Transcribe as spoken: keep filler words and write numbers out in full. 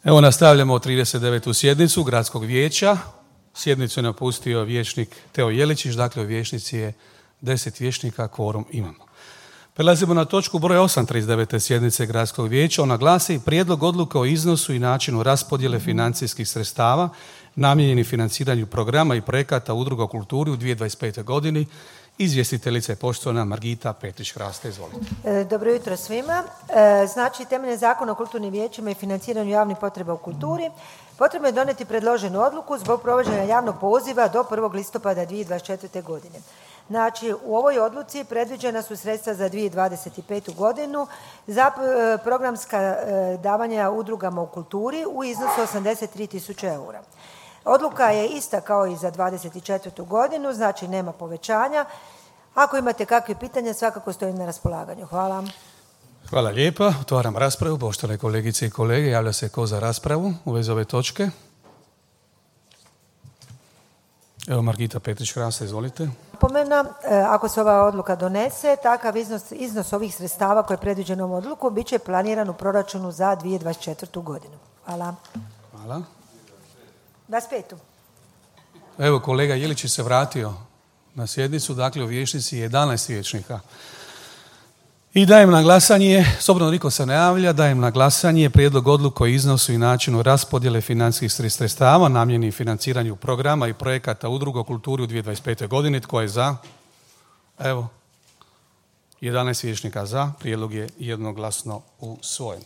Evo nastavljamo trideset devetu sjednicu Gradskog vijeća. Sjednicu je napustio vijećnik Teo Jeličić, dakle u vijećnici je deset vijećnika, kvorum imamo. Prelazimo na točku broj osam trideset devete sjednice Gradskog vijeća. Ona glasi prijedlog odluke o iznosu i načinu raspodjele financijskih sredstava namijenjeni financiranju programa i projekata udruga u kulturi u dvije tisuće dvadeset pete. godini. Izvjestiteljica je poštovana Margita Petrić-Hraste. Izvolite. Dobro jutro svima. Znači, temeljem Zakona o kulturnim vijećima i financiranju javnih potreba u kulturi potrebno je donijeti predloženu odluku zbog provođenja javnog poziva do prvog listopada dvije tisuće dvadeset četvrte. godine. Znači, u ovoj odluci predviđena su sredstva za dvije tisuće dvadeset petu. godinu za programska davanja udrugama u kulturi u iznosu osamdeset tri tisuće eura. Odluka je ista kao i za dvadeset četvrtu. godinu, znači nema povećanja. Ako imate kakve pitanja, svakako stojim na raspolaganju. Hvala. Hvala lijepa. Otvaram raspravu. Poštovane kolegice i kolege, javlja se ko za raspravu u vezi ove točke? Evo Margita Petrić-Hraste, izvolite. Napomena, ako se ova odluka donese, takav iznos, iznos ovih sredstava koje je predviđeno ovom odluku bit će planiran u proračunu za dvije tisuće dvadeset četvrtu. godinu. Hvala. Hvala. dvadeset petu. Evo kolega Jeličić se vratio na sjednicu, dakle u vijećnici je jedanaest vijećnika. I dajem na glasanje, s obzirom da niko se ne javlja, dajem na glasanje prijedlog odluke o iznosu i načinu raspodjele financijskih sredstava namijenjenih financiranju programa i projekata udruga u kulturi u dvije tisuće dvadeset pete. godini. Tko je za? Evo, jedanaest vijećnika za, prijedlog je jednoglasno usvojen.